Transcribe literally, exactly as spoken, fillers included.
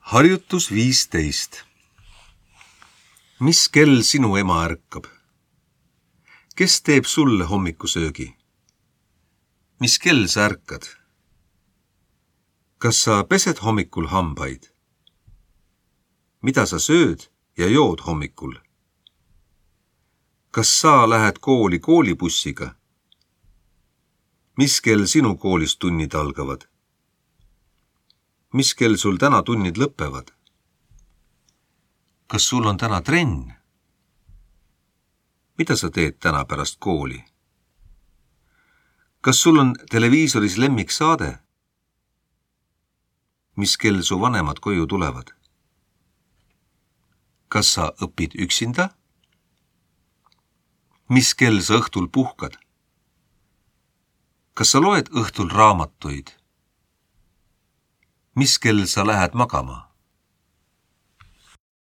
Harjutus viisteist. Mis kell sinu ema ärkab? Kes teeb sulle hommikusöögi? Mis kell sa ärkad? Kas sa pesed hommikul hambaid? Mida sa sööd ja jood hommikul? Kas sa lähed kooli koolibussiga? Mis kell sinu koolis tunnid algavad? Mis kell sul täna tunnid lõppevad? Kas sul on täna trenn? Mida sa teed täna pärast kooli? Kas sul on televiisoris lemmiksaade? Mis kell su vanemad koju tulevad? Kas sa õpid üksinda? Mis kell sa õhtul puhkad? Kas sa loed õhtul raamatuid? Mis kell sa lähed magama?